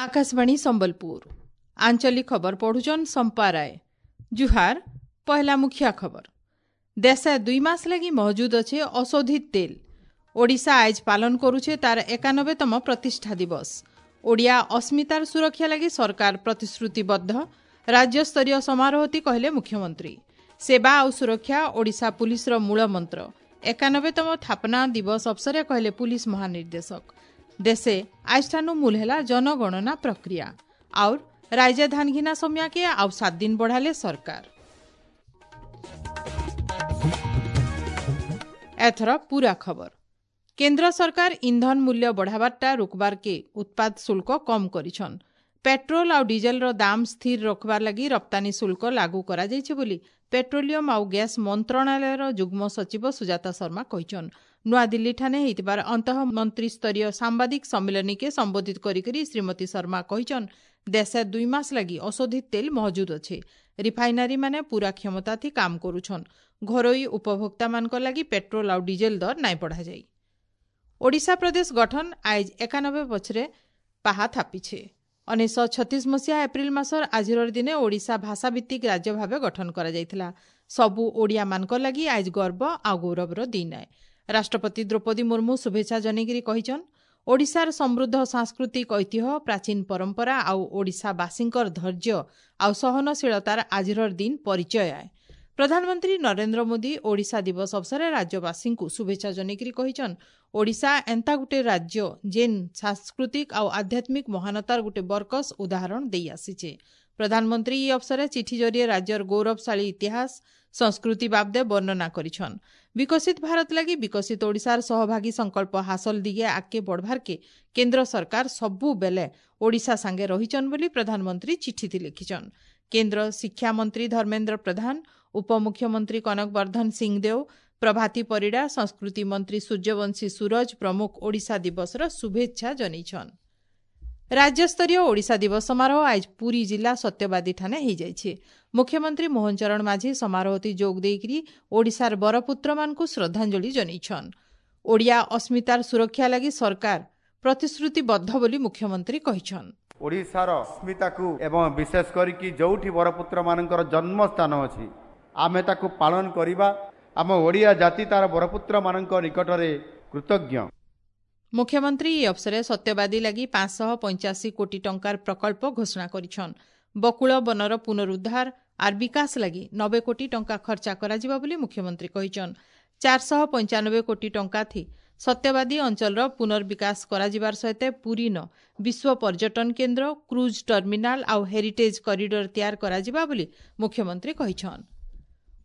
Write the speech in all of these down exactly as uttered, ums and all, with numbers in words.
ଆକାଶବାଣୀ ସମ୍ବଲପୁର ଆଞ୍ଚଳିକ ଖବର ପଢୁଛନ୍ ସମ୍ପା ରାୟ ଜୁହାର ପହଲା ମୁଖିଆ ଖବର ଦେଶେ ଦୁଇ ମାସ ଲାଗି ମହଜୁଦ ଅଛେ ଅଶୋଧିତ ତେଲ ଓଡ଼ିଶା ଆଏଜ ପାଳନ କରୁଛେ ତାର ଏକାନବେତମ ପ୍ରତିଷ୍ଠା ଦିବସ ଓଡ଼ିଆ ଅସ୍ମିତାର ସୁରକ୍ଷା ଲାଗି ସରକାର ପ୍ରତିଶ୍ରୁତିବଦ୍ଧ ରାଜ୍ୟସ୍ତରୀୟ ସମାରୋହତି କହିଲେ ମୁଖ୍ୟମନ୍ତ୍ରୀ ସେବା ଆଉ ସୁରକ୍ଷା ଓଡ଼ିଶା ପୁଲିସର ମୂଳ ମନ୍ତ୍ର ଏକାନବେତମ ସ୍ଥାପନା ଦିବସ ଅବସରରେ କହିଲେ ପୁଲିସ ମହାନିର୍ଦ୍ଦେଶକ ଦେଶେ ଆଜଠାନୁ ମୂଲ ହେଲା ଜନଗଣନା ପ୍ରକ୍ରିୟା और ରାଜ୍ୟ ଧାନ ଘିନା ସମୟାକେ ଆଉ ସାତ ଦିନ ବଢ଼ାଲେ ସରକାର ଏଥର ପୁରା ଖବର କେନ୍ଦ୍ର ସରକାର ଇନ୍ଧନ ମୂଲ୍ୟ ବଢ଼ାବାରଟା ରୋକବାରକେ ଉତ୍ପାଦ ଶୁଳ୍କ କମ୍ କରିଛନ୍ ପେଟ୍ରୋଲ ଆଉ ଡିଜେଲର ଦାମ ସ୍ଥିର ରଖବାର ଲାଗି ରପ୍ତାନୀ ଶୁଳ୍କ ଲାଗୁ କରାଯାଇଛି ବୋଲି ପେଟ୍ରୋଲିୟମ ଆଉ ଗ୍ୟାସ୍ ମନ୍ତ୍ରଣାଳୟର ଯୁଗ୍ମ ସଚିବ ସୁଜାତା ଶର୍ମା କହିଛନ୍ ନୂଆଦିଲ୍ଲୀଠାନେ ହେଇଥିବାର ଅନ୍ତଃ ମନ୍ତ୍ରୀସ୍ତରୀୟ ସାମ୍ବାଦିକ ସମ୍ମିଳନୀକେ ସମ୍ବୋଧିତ କରିକରି ଶ୍ରୀମତୀ ଶର୍ମା କହିଛନ୍ ଦେଶେ ଦୁଇ ମାସ ଲାଗି ଅଶୋଧିତ ତେଲ ମହଜୁଦ ଅଛେ ରିଫାଇନାରୀ ମାନେ ପୁରା କ୍ଷମତା ଥି କାମ କରୁଛନ୍ ଘରୋଇ ଉପଭୋକ୍ତାମାନଙ୍କ ଲାଗି ପେଟ୍ରୋଲ ଆଉ ଡିଜେଲ ଦର ନାଇଁ ବଢ଼ାଯାଇ ଓଡ଼ିଶା ପ୍ରଦେଶ ଗଠନ ଆଏଜ ଏକାନବେ ପଛରେ ପାହା ଥାପିଛେ ଉଣେଇଶହ ଛତିଶ ମସିହା ଏପ୍ରିଲ ମାସର ଆଜିର ଦିନେ ଓଡ଼ିଶା ଭାଷାଭିତ୍ତିକ ରାଜ୍ୟ ଭାବେ ଗଠନ କରାଯାଇଥିଲା ସବୁ ଓଡ଼ିଆମାନଙ୍କ ଲାଗି ଆଏଜ ଗର୍ବ ଆଉ ଗୌରବର ଦିନ ଆଏ ରାଷ୍ଟ୍ରପତି ଦ୍ରୌପଦୀ ମୁର୍ମୁ ଶୁଭେଚ୍ଛା ଜଣେଇକରି କହିଛନ୍ ଓଡ଼ିଶାର ସମୃଦ୍ଧ ସାଂସ୍କୃତିକ ଐତିହ୍ୟ ପ୍ରାଚୀନ ପରମ୍ପରା ଆଉ ଓଡ଼ିଶାବାସୀଙ୍କର ଧୈର୍ଯ୍ୟ ଆଉ ସହନଶୀଳତାର ଆଜିର ଦିନ ପରିଚୟ ଆଏ ପ୍ରଧାନମନ୍ତ୍ରୀ ନରେନ୍ଦ୍ର ମୋଦି ଓଡ଼ିଶା ଦିବସ ଅବସରରେ ରାଜ୍ୟବାସୀଙ୍କୁ ଶୁଭେଚ୍ଛା ଜଣେଇକରି କହିଛନ୍ ଓଡ଼ିଶା ଏନ୍ତା ଗୋଟେ ରାଜ୍ୟ ଯେନ୍ ସାଂସ୍କୃତିକ ଆଉ ଆଧ୍ୟାତ୍ମିକ ମହାନତାର ଗୋଟେ ବରକସ ଉଦାହରଣ ଦେଇ ଆସିଛେ ପ୍ରଧାନମନ୍ତ୍ରୀ ଇ ଅବସରରେ ଚିଠି ଜରିଏ ରାଜ୍ୟର ଗୌରବଶାଳୀ ଇତିହାସ ସଂସ୍କୃତି ବାବଦେ ବର୍ଣ୍ଣନା କରିଛନ୍ ବିକଶିତ ଭାରତ ଲାଗି ବିକଶିତ ଓଡ଼ିଶାର ସହଭାଗୀ ସଂକଳ୍ପ ହାସଲ ଦିଗେ ଆଗକେ ବଢ଼ବାରକେ କେନ୍ଦ୍ର ସରକାର ସବୁବେଲେ ଓଡ଼ିଶା ସାଙ୍ଗେ ରହିଛନ୍ ବୋଲି ପ୍ରଧାନମନ୍ତ୍ରୀ ଚିଠିଥି ଲେଖିଛନ୍ କେନ୍ଦ୍ର ଶିକ୍ଷାମନ୍ତ୍ରୀ ଧର୍ମେନ୍ଦ୍ର ପ୍ରଧାନ ଉପମୁଖ୍ୟମନ୍ତ୍ରୀ କନକ ବର୍ଦ୍ଧନ ସିଂଦେଓ ପ୍ରଭାତୀ ପରିଡ଼ା ସଂସ୍କୃତି ମନ୍ତ୍ରୀ ସୂର୍ଯ୍ୟବଂଶୀ ସୂରଜ ପ୍ରମୁଖ ଓଡ଼ିଶା ଦିବସର ଶୁଭେଚ୍ଛା ଜଣାଇଛନ୍ ରାଜ୍ୟସ୍ତରୀୟ ଓଡ଼ିଶା ଦିବସ ସମାରୋହ ଆଜ ପୁରୀ ଜିଲ୍ଲା ସତ୍ୟବାଦୀଠାନେ ହୋଇଯାଇଛି ମୁଖ୍ୟମନ୍ତ୍ରୀ ମୋହନ ଚରଣ ମାଝୀ ସମାରୋହତି ଯୋଗ ଦେଇକରି ଓଡ଼ିଶାର ବରପୁତ୍ରମାନଙ୍କୁ ଶ୍ରଦ୍ଧାଞ୍ଜଳି ଜଣାଇଛନ୍ ଓଡ଼ିଆ ଅସ୍ମିତାର ସୁରକ୍ଷା ଲାଗି ସରକାର ପ୍ରତିଶ୍ରୁତିବଦ୍ଧ ବୋଲି ମୁଖ୍ୟମନ୍ତ୍ରୀ କହିଛନ୍ ଓଡ଼ିଶାର ଅସ୍ମିତାକୁ ଏବଂ ବିଶେଷ କରିକି ଯୋଉଠି ବରପୁତ୍ରମାନଙ୍କର ଜନ୍ମସ୍ଥାନ ଅଛି ଆମେ ତାକୁ ପାଳନ କରିବା ଆମ ଓଡ଼ିଆ ଜାତି ତାର ବରପୁତ୍ରମାନଙ୍କ ନିକଟରେ କୃତଜ୍ଞ ମୁଖ୍ୟମନ୍ତ୍ରୀ ଏହି ଅବସରରେ ସତ୍ୟବାଦୀ ଲାଗି ପାଞ୍ଚଶହ ପଞ୍ଚାଅଶୀ କୋଟି ଟଙ୍କାର ପ୍ରକଳ୍ପ ଘୋଷଣା କରିଛନ୍ ବକୁଳ ବନର ପୁନରୁଦ୍ଧାର ଆର୍ ବିକାଶ ଲାଗି ନବେ କୋଟି ଟଙ୍କା ଖର୍ଚ୍ଚ କରାଯିବ ବୋଲି ମୁଖ୍ୟମନ୍ତ୍ରୀ କହିଛନ୍ ଚାରିଶହ ପଞ୍ଚାନବେ କୋଟି ଟଙ୍କା ଥି ସତ୍ୟବାଦୀ ଅଞ୍ଚଳର ପୁନର୍ବିକାଶ କରାଯିବାର ସହିତ ପୁରୀନ ବିଶ୍ୱ ପର୍ଯ୍ୟଟନ କେନ୍ଦ୍ର କ୍ରୁଜ୍ ଟର୍ମିନାଲ ଆଉ ହେରିଟେଜ୍ କରିଡର ତିଆର କରାଯିବା ବୋଲି ମୁଖ୍ୟମନ୍ତ୍ରୀ କହିଛନ୍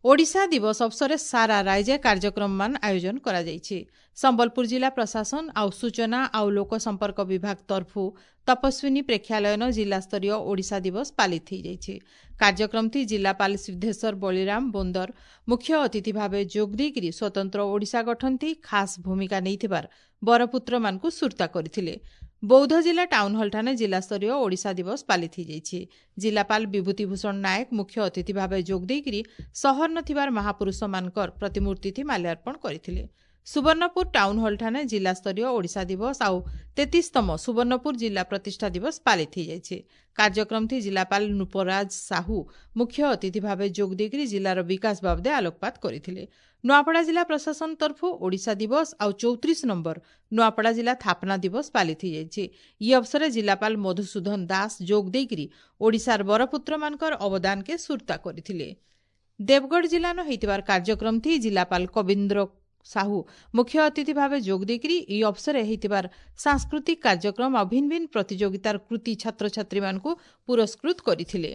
ଓଡ଼ିଶା ଦିବସ ଅବସରରେ ସାରା ରାଜ୍ୟ କାର୍ଯ୍ୟକ୍ରମମାନ ଆୟୋଜନ କରାଯାଇଛି ସମ୍ବଲପୁର ଜିଲ୍ଲା ପ୍ରଶାସନ ଆଉ ସୂଚନା ଆଉ ଲୋକସମ୍ପର୍କ ବିଭାଗ ତରଫୁ ତପସ୍ୱିନୀ ପ୍ରେକ୍ଷାଳୟନ ଜିଲ୍ଲାସ୍ତରୀୟ ଓଡ଼ିଶା ଦିବସ ପାଳିତ ହୋଇଯାଇଛି କାର୍ଯ୍ୟକ୍ରମଟି ଜିଲ୍ଲାପାଳ ସିଦ୍ଧେଶ୍ୱର ବଳିରାମ ବୋନ୍ଦର ମୁଖ୍ୟ ଅତିଥି ଭାବେ ଯୋଗ ଦେଇକରି ସ୍ୱତନ୍ତ୍ର ଓଡ଼ିଶା ଗଠନଥି ଖାସ୍ ଭୂମିକା ନେଇଥିବାର ବରପୁତ୍ରମାନଙ୍କୁ ସୁର୍ତ୍ତା କରିଥିଲେ ବୌଦ୍ଧ ଜିଲ୍ଲା ଟାଉନ୍ ହଲ୍ଠାନେ ଜିଲ୍ଲାସ୍ତରୀୟ ଓଡ଼ିଶା ଦିବସ ପାଳିତ ହୋଇଯାଇଛି ଜିଲ୍ଲାପାଳ ବିଭୂତିଭୂଷଣ ନାୟକ ମୁଖ୍ୟ ଅତିଥି ଭାବେ ଯୋଗ ଦେଇକରି ସହର ଥିବାର ମହାପୁରୁଷମାନଙ୍କର ପ୍ରତିମୂର୍ତ୍ତିଥି ମାଲ୍ୟାର୍ପଣ କରିଥିଲେ ସୁବର୍ଣ୍ଣପୁର ଟାଉନ୍ ହଲ୍ଠାନେ ଜିଲ୍ଲାସ୍ତରୀୟ ଓଡ଼ିଶା ଦିବସ ଆଉ ତେତିଶତମ ସୁବର୍ଣ୍ଣପୁର ଜିଲ୍ଲା ପ୍ରତିଷ୍ଠା ଦିବସ ପାଳିତ ହୋଇଯାଇଛି କାର୍ଯ୍ୟକ୍ରମଥି ଜିଲ୍ଲାପାଳ ନୃପରାଜ ସାହୁ ମୁଖ୍ୟ ଅତିଥି ଭାବେ ଯୋଗ ଦେଇକରି ଜିଲ୍ଲାର ବିକାଶ ବାବଦେ ଆଲୋକପାତ କରିଥିଲେ ନୂଆପଡ଼ା ଜିଲ୍ଲା ପ୍ରଶାସନ ତରଫୁ ଓଡ଼ିଶା ଦିବସ ଆଉ ଚଉତିରିଶ ନମ୍ବର ନୂଆପଡ଼ା ଜିଲ୍ଲା ସ୍ଥାପନା ଦିବସ ପାଳିତ ହୋଇଯାଇଛି ଇ ଅବସରରେ ଜିଲ୍ଲାପାଳ ମଧୁସୂଦନ ଦାସ ଯୋଗ ଦେଇକରି ଓଡ଼ିଶାର ବରପୁତ୍ରମାନଙ୍କର ଅବଦାନକେ ସୁର୍ତ୍ତା କରିଥିଲେ ଦେବଗଡ଼ ଜିଲ୍ଲାନ ହୋଇଥିବାର କାର୍ଯ୍ୟକ୍ରମଥି ଜିଲ୍ଲାପାଳ କବୀନ୍ଦ୍ର ସାହୁ ମୁଖ୍ୟ ଅତିଥି ଭାବେ ଯୋଗ ଦେଇକରି ଏହି ଅବସରରେ ହୋଇଥିବାର ସାଂସ୍କୃତିକ କାର୍ଯ୍ୟକ୍ରମ ଆଉ ଭିନ୍ନ ଭିନ୍ନ ପ୍ରତିଯୋଗିତାର କୃତି ଛାତ୍ରଛାତ୍ରୀମାନଙ୍କୁ ପୁରସ୍କୃତ କରିଥିଲେ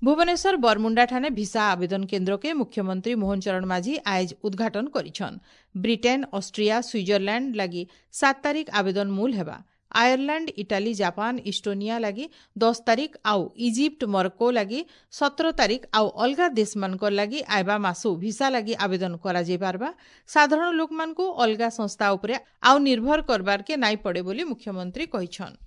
ଭୁବନେଶ୍ୱର ବରମୁଣ୍ଡାଠାନେ ଭିସା ଆବେଦନ କେନ୍ଦ୍ରକେ ମୁଖ୍ୟମନ୍ତ୍ରୀ ମୋହନ ଚରଣ ମାଝୀ ଆଏଜ ଉଦ୍ଘାଟନ କରିଛନ୍ ବ୍ରିଟେନ୍ ଅଷ୍ଟ୍ରିଆ ସୁଇଜରଲ୍ୟାଣ୍ଡ ଲାଗି ସାତ ତାରିଖ ଆବେଦନ ମୂଲ ହେବା ଆୟରଲ୍ୟାଣ୍ଡ ଇଟାଲୀ ଜାପାନ ଇଷ୍ଟୋନିଆ ଲାଗି ଦଶ ତାରିଖ ଆଉ ଇଜିପ୍ଟ ମରକୋ ଲାଗି ସତର ତାରିଖ ଆଉ ଅଲଗା ଦେଶମାନଙ୍କର ଲାଗି ଆଇବା ମାସୁ ଭିସା ଲାଗି ଆବେଦନ କରାଯାଇପାରବା ସାଧାରଣ ଲୋକମାନଙ୍କୁ ଅଲଗା ସଂସ୍ଥା ଉପରେ ଆଉ ନିର୍ଭର କରବାରକେ ନାଇଁ ପଡ଼େ ବୋଲି ମୁଖ୍ୟମନ୍ତ୍ରୀ କହିଛନ୍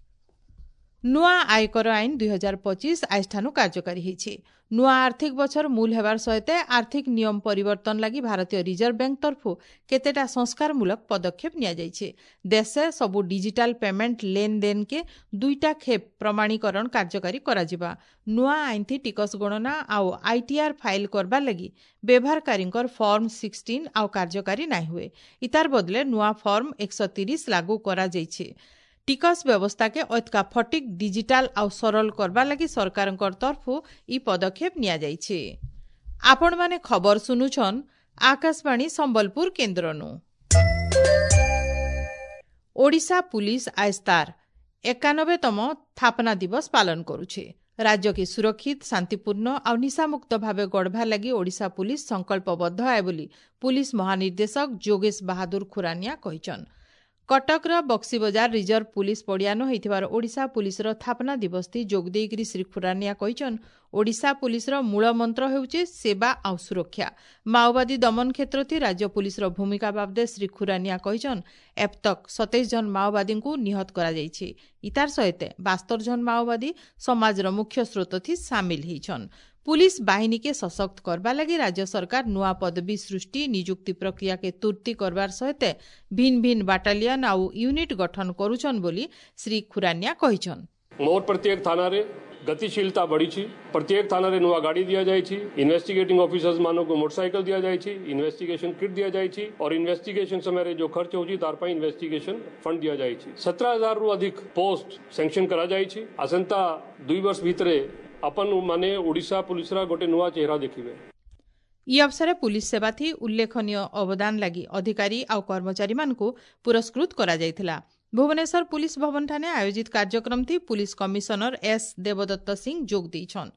ନୂଆ ଆୟକର ଆଇନ ଦୁଇ ହଜାର ପଚିଶ ଆଜିଠାନୁ କାର୍ଯ୍ୟକାରୀ ହେଇଛି। ନୂଆ ଆର୍ଥିକ ବଛର ମୂଲ ହେବାର ସହିତ ଆର୍ଥିକ ନିୟମ ପରିବର୍ତ୍ତନ ଲାଗି ଭାରତୀୟ ରିଜର୍ଭ ବ୍ୟାଙ୍କ ତରଫରୁ କେତେଟା ସଂସ୍କାରମୂଳକ ପଦକ୍ଷେପ ନିଆଯାଇଛି। ଦେଶେ ସବୁ ଡିଜିଟାଲ ପେମେଣ୍ଟ ଲେନଦେନକେ ଦୁଇଟା ଖେପ ପ୍ରମାଣୀକରଣ କାର୍ଯ୍ୟକାରୀ କରାଯିବା। ନୂଆ ଆଇନଥି ଟିକସ ଗଣନା ଆଉ ଆଇଟିଆର୍ ଫାଇଲ କରବାର ଲାଗି ବ୍ୟବହାରକାରୀଙ୍କର ଫର୍ମ ସିକ୍ସଟିନ୍ ଆଉ କାର୍ଯ୍ୟକାରୀ ନାଇଁ ହୁଏ। ଇତାର ବଦଲେ ନୂଆ ଫର୍ମ ଏକଶହ ତିରିଶ ଲାଗୁ କରାଯାଇଛି। ଟିକସ ବ୍ୟବସ୍ଥାକେ ଅତ୍କା ଫଟିକ୍, ଡିଜିଟାଲ ଆଉ ସରଳ କରବାର ଲାଗି ସରକାରଙ୍କର ତରଫରୁ ଇ ପଦକ୍ଷେପ ନିଆଯାଇଛି। ଆପଣମାନେ ଖବର ଶୁନୁଛନ୍ ଆକାଶବାଣୀ ସମ୍ବଲପୁର କେନ୍ଦ୍ରନୁ। ଓଡ଼ିଶା ପୁଲିସ ଆଜ ତାର ଏକାନବେତମ ସ୍ଥାପନା ଦିବସ ପାଳନ କରୁଛେ। ରାଜ୍ୟକେ ସୁରକ୍ଷିତ, ଶାନ୍ତିପୂର୍ଣ୍ଣ ଆଉ ନିଶାମୁକ୍ତ ଭାବେ ଗଢ଼ବାର୍ ଲାଗି ଓଡ଼ିଶା ପୁଲିସ ସଂକଳ୍ପବଦ୍ଧ ଆଏ ବୋଲି ପୁଲିସ ମହାନିର୍ଦ୍ଦେଶକ ଯୋଗେଶ ବାହାଦୁର ଖୁରାନିଆ କହିଛନ୍। କଟକର ବକ୍ସିବଜାର ରିଜର୍ଭ ପୁଲିସ ପଡ଼ିଆନ ହୋଇଥିବାର ଓଡ଼ିଶା ପୁଲିସର ସ୍ଥାପନା ଦିବସଥି ଯୋଗ ଦେଇକରି ଶ୍ରୀ ଖୁରାନିଆ କହିଛନ୍, ଓଡ଼ିଶା ପୁଲିସର ମୂଳ ମନ୍ତ୍ର ହେଉଛି ସେବା ଆଉ ସୁରକ୍ଷା। ମାଓବାଦୀ ଦମନ କ୍ଷେତ୍ରଥି ରାଜ୍ୟ ପୁଲିସର ଭୂମିକା ବାବଦେ ଶ୍ରୀ ଖୁରାନିଆ କହିଛନ୍, ଏବତକ୍ ସତେଇଶ ଜଣ ମାଓବାଦୀଙ୍କୁ ନିହତ କରାଯାଇଛି। ଇତାର ସହିତ ବାସ୍ତର ଜଣ ମାଓବାଦୀ ସମାଜର ମୁଖ୍ୟ ସ୍ରୋତଥି ସାମିଲ ହେଇଛନ୍। ପୁଲିସ ବାହିନୀକେ ସଶକ୍ତ କରବା ଲାଗି ରାଜ୍ୟ ସରକାର ନୂଆ ପଦବୀ ସୃଷ୍ଟି, ନିଯୁକ୍ତି ପ୍ରକ୍ରିୟାକେ ତୁର୍ତି କରବାର ସହିତ ଭିନ୍ନ ଭିନ୍ନ ବାଟାଲିୟନ ଆଉ ୟୁନିଟ୍ ଗଠନ କରୁଛନ୍ ବୋଲି ଶ୍ରୀ ଖୁରାନିଆ କହିଛନ୍। ମୋର ପ୍ରତ୍ୟେକ ଥାନାରେ ଗତିଶୀଳତା ବଢ଼ିଛି। ପ୍ରତ୍ୟେକ ଥାନାରେ ନୂଆ ଗାଡ଼ି ଦିଆଯାଇଛି, ଇନଭେଷ୍ଟିଗେଟିଂ ଅଫିସର୍ସ ମାନଙ୍କୁ ମୋଟରସାଇକେଲ ଦିଆଯାଇଛି, ଇନଭେଷ୍ଟିଗେସନ କିଟ୍ ଦିଆଯାଇଛି और ଇନଭେଷ୍ଟିଗେସନ ସମୟରେ ଯୋଉ ଖର୍ଚ୍ଚ ହେଉଛି ତାର ପାଇଁ ଇନଭେଷ୍ଟିଗେସନ ଫଣ୍ଡ ଦିଆଯାଇଛି। ସତର ହଜାରରୁ ଅଧିକ ପୋଷ୍ଟ ସାଙ୍କସନ କରାଯାଇଛି। ଆସନ୍ତା ଦୁଇ ବର୍ଷ ଭିତରେ ଆପଣ ମାନେ ଓଡ଼ିଶା ପୁଲିସର ଗୋଟେ ନୂଆ ଚେହେରା ଦେଖିବେ। ଇ ଅବସରେ ପୁଲିସ ସେବାଥି ଉଲ୍ଲେଖନୀୟ ଅବଦାନ ଲାଗି ଅଧିକାରୀ ଆଉ କର୍ମଚାରୀମାନଙ୍କୁ ପୁରସ୍କୃତ କରାଯାଇଥିଲା। ଭୁବନେଶ୍ୱର ପୁଲିସ ଭବନଠାନେ ଆୟୋଜିତ କାର୍ଯ୍ୟକ୍ରମଥି ପୁଲିସ କମିଶନର ଏସ୍ ଦେବଦତ୍ତ ସିଂ ଯୋଗ ଦେଇଛନ୍।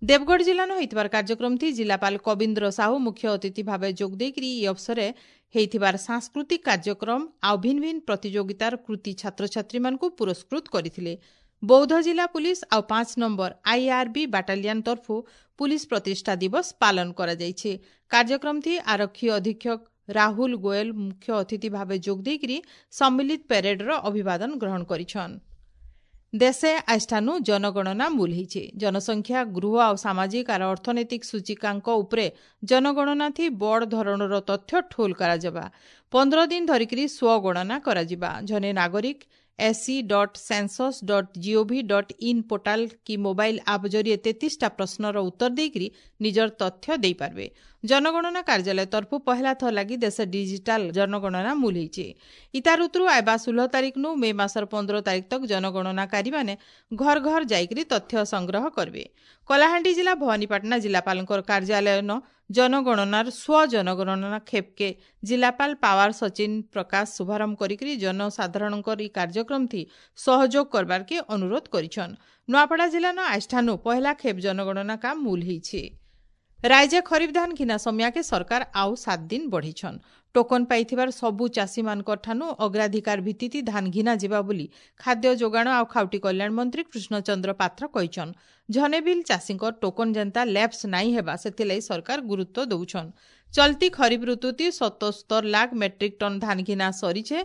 ଦେବଗଡ଼ ଜିଲ୍ଲାନ ହୋଇଥିବାର କାର୍ଯ୍ୟକ୍ରମଥି ଜିଲ୍ଲାପାଳ କବୀନ୍ଦ୍ର ସାହୁ ମୁଖ୍ୟ ଅତିଥି ଭାବେ ଯୋଗ ଦେଇକରି ଇ ଅବସରେ ହେଇଥିବାର ସାଂସ୍କୃତିକ କାର୍ଯ୍ୟକ୍ରମ ଆଉ ଭିନ୍ନ ଭିନ୍ନ ପ୍ରତିଯୋଗିତାର କୃତି ଛାତ୍ରଛାତ୍ରୀମାନଙ୍କୁ ପୁରସ୍କୃତ କରିଥିଲେ। ବୌଦ୍ଧ ଜିଲ୍ଲା ପୁଲିସ ଆଉ ପାଞ୍ଚ ନମ୍ବର ଆଇଆର୍ବି ବାଟାଲିୟନ ତରଫରୁ ପୁଲିସ ପ୍ରତିଷ୍ଠା ଦିବସ ପାଳନ କରାଯାଇଛି। କାର୍ଯ୍ୟକ୍ରମଥି ଆରକ୍ଷୀ ଅଧୀକ୍ଷକ ରାହୁଲ ଗୋଏଲ ମୁଖ୍ୟ ଅତିଥି ଭାବେ ଯୋଗ ଦେଇକରି ସମ୍ମିଳିତ ପ୍ୟାରେଡର ଅଭିବାଦନ ଗ୍ରହଣ କରିଛନ୍। ଦେଶେ ଆଜିଠାନୁ ଜନଗଣନା ମୂଲ ହେଇଛେ। ଜନସଂଖ୍ୟା, ଗୃହ ଆଉ ସାମାଜିକ ଆର ଅର୍ଥନୈତିକ ସୂଚିକାଙ୍କ ଉପରେ ଜନଗଣନାଥି ବଡ଼ ଧରଣର ତଥ୍ୟ ଠୋଲ କରାଯିବା। ପନ୍ଦର ଦିନ ଧରିକିରି ସ୍ୱଗଣନା କରାଯିବା। ଜଣେ ନାଗରିକ SC dot census dot gov dot in portal କି ମୋବାଇଲ ଆପ୍ ଜରିଏ ତେତିଶଟା ପ୍ରଶ୍ନର ଉତ୍ତର ଦେଇକରି ନିଜର ତଥ୍ୟ ଦେଇପାରିବେ। ଜନଗଣନା କାର୍ଯ୍ୟାଳୟ ତରଫରୁ ପହଲା ଥର ଲାଗି ଦେଶ ଡିଜିଟାଲ ଜନଗଣନା ମୂଲ ହେଇଛେ। ଇତାର ଉତରୁ ଆଇବା ଷୋହଳ ତାରିଖନୁ ମେ ମାସର ପନ୍ଦର ତାରିଖ ତକ ଜନଗଣନାକାରୀମାନେ ଘର ଘର ଯାଇକରି ତଥ୍ୟ ସଂଗ୍ରହ କରିବେ। କଳାହାଣ୍ଡି ଜିଲ୍ଲା ଭବାନୀପାଟଣା ଜିଲ୍ଲାପାଳଙ୍କର କାର୍ଯ୍ୟାଳୟନ ଜନଗଣନାର ସ୍ୱ ଜନଗଣନା ଖେପକେ ଜିଲ୍ଲାପାଳ ପାୱାର ସଚିନ ପ୍ରକାଶ ଶୁଭାରମ୍ଭ କରିକରି ଜନସାଧାରଣଙ୍କର ଇ କାର୍ଯ୍ୟକ୍ରମଥି ସହଯୋଗ କରବାରକେ ଅନୁରୋଧ କରିଛନ୍। ନୂଆପଡ଼ା ଜିଲ୍ଲାନ ଆଜିଠାନୁ ପହଲା ଖେପ ଜନଗଣନା କାମ ମୂଲ ହେଇଛି। ରାଜ୍ୟ ଖରିଫ ଧାନ ଘିନା ସମିଆକେ ସରକାର ଆଉ ସାତ ଦିନ ବଢ଼େଇଛନ୍। ଟୋକନ ପାଇଥିବାର ସବୁ ଚାଷୀମାନଙ୍କର ଠାନୁ ଅଗ୍ରାଧିକାର ଭିତ୍ତିତି ଧାନ ଘିନା ଯିବା ବୋଲି ଖାଦ୍ୟ ଯୋଗାଣ ଆଉ ଖାଉଟି କଲ୍ୟାଣ ମନ୍ତ୍ରୀ କୃଷ୍ଣଚନ୍ଦ୍ର ପାତ୍ର କହିଛନ୍। ଝନେ ବିଲ୍ ଚାଷୀଙ୍କ ଟୋକନ ଯେନ୍ତା ଲ୍ୟାପ୍ସ ନାଇଁ ହେବା ସେଥିଲାଗି ସରକାର ଗୁରୁତ୍ୱ ଦଉଛନ୍। ଚଲତି ଖରିଫ ଋତୁତି ସତସ୍ତର ଲାଖ ମେଟ୍ରିକ ଟନ୍ ଧାନ ଘିନା ସରିଛେ।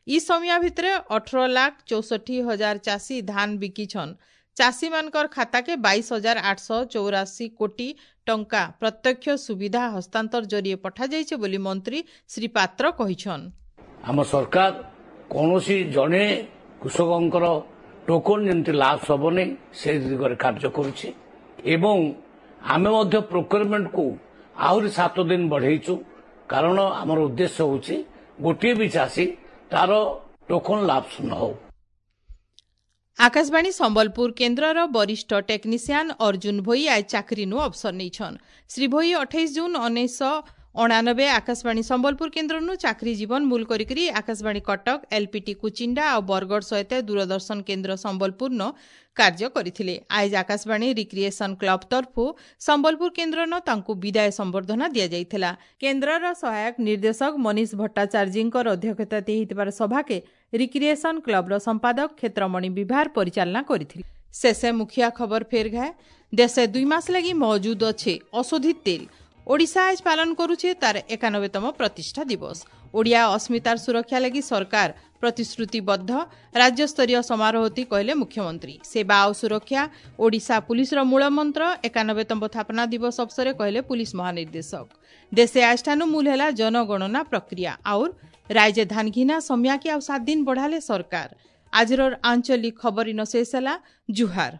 ଇ ସମିଆ ଭିତରେ ଅଠର ଲାଖ ଚଉଷଠି ହଜାର ଚାଷୀ ଧାନ ବିକିଛନ୍। ଚାଷୀମାନଙ୍କର ଖାତାକେ ବାଇଶ ହଜାର ଆଠଶହ ଚଉରାଶୀ କୋଟି ଟଙ୍କା ପ୍ରତ୍ୟକ୍ଷ ସୁବିଧା ହସ୍ତାନ୍ତର ଜରିଏ ପଠାଯାଇଛି ବୋଲି ମନ୍ତ୍ରୀ ଶ୍ରୀ ପାତ୍ର କହିଛନ୍। ଆମ ସରକାର କୌଣସି ଜଣେ କୃଷକଙ୍କର ଟୋକନ ଯେମିତି ଲାଭ ହେବନି ସେ ଦିଗରେ କାର୍ଯ୍ୟ କରୁଛି ଏବଂ ଆମେ ମଧ୍ୟ ପ୍ରୋକ୍ୟୁରମେଣ୍ଟକୁ ଆହୁରି ସାତ ଦିନ ବଢ଼େଇଛୁ, କାରଣ ଆମର ଉଦ୍ଦେଶ୍ୟ ହେଉଛି ଗୋଟିଏ ବି ଚାଷୀ ତାର ଟୋକନ ଲାପ୍ସ ନ ହଉ। ଆକାଶବାଣୀ ସମ୍ବଲପୁର କେନ୍ଦ୍ରର ବରିଷ୍ଠ ଟେକ୍ନିସିଆନ ଅର୍ଜୁନ ଭୋଇ ଆଜ ଚାକିରିନୁ ଅବସର ନେଇଛନ୍। ଶ୍ରୀ ଭୋଇ ଅଠେଇଶ ଜୁନ୍ ଉଣେଇଶହ ଅଣାନବେ ଆକାଶବାଣୀ ସମ୍ବଲପୁର କେନ୍ଦ୍ରନୁ ଚାକିରି ଜୀବନ ମୂଲ କରିକରି ଆକାଶବାଣୀ କଟକ, ଏଲ୍ପିଟି କୁଚିଣ୍ଡା ଆଉ ବରଗଡ଼ ସହିତ ଦୂରଦର୍ଶନ କେନ୍ଦ୍ର ସମ୍ବଲପୁରନ କାର୍ଯ୍ୟ କରିଥିଲେ। ଆଇଜ ଆକାଶବାଣୀ ରିକ୍ରିଏସନ କ୍ଲବ ତରଫରୁ ସମ୍ବଲପୁର କେନ୍ଦ୍ରନ ତାଙ୍କୁ ବିଦାୟ ସମ୍ବର୍ଦ୍ଧନା ଦିଆଯାଇଥିଲା। କେନ୍ଦ୍ରର ସହାୟକ ନିର୍ଦ୍ଦେଶକ ମନୀଷ ଭଟ୍ଟାଚାର୍ଯ୍ୟଙ୍କର ଅଧ୍ୟକ୍ଷତାରେ ହେଇଥିବାର ସଭାକେ ରିକ୍ରିଏସନ କ୍ଲବର ସମ୍ପାଦକ କ୍ଷେତ୍ରମଣି ବିଭାର ପରିଚାଳନା କରିଥିଲେ। ଶେଷେ ମୁଖିଆ ଖବର ଫେର ଘାଏ। ଦେଶେ ଦୁଇ ମାସ ଲାଗି ମौजूद ଅଛେ ଅଶୋଧିତ ତେଲ। ଓଡ଼ିଶା ଆଜ ପାଳନ କରୁଛେ ତାର ଏକାନବେତମ ପ୍ରତିଷ୍ଠା ଦିବସ। ଓଡ଼ିଆ ଅସ୍ମିତାର ସୁରକ୍ଷା ଲାଗି ସରକାର ପ୍ରତିଶ୍ରୁତିବଦ୍ଧ ରାଜ୍ୟସ୍ତରୀୟ ସମାରୋହତି କହିଲେ ମୁଖ୍ୟମନ୍ତ୍ରୀ ସେବା ଆଉ ସୁରକ୍ଷା ଓଡ଼ିଶା ପୁଲିସର ମୂଳମନ୍ତ୍ର ଏକାନବେତମ ସ୍ଥାପନା ଦିବସ ଅବସରରେ କହିଲେ ପୁଲିସ ମହାନିର୍ଦ୍ଦେଶକ ଦେଶେ ଆଜଠାନୁ ମୂଲ ହେଲା ଜନଗଣନା ପ୍ରକ୍ରିୟା ଆଉର୍ ରାଜ୍ୟ ଧାନ ଘିନା ସମିୟାକେ ଆଉ ସାତ ଦିନ ବଢ଼ାଲେ ସରକାର ଆଜିର ଆଞ୍ଚଳିକ ଖବର ଇନ ଶେଷ ହେଲା ଜୁହାର।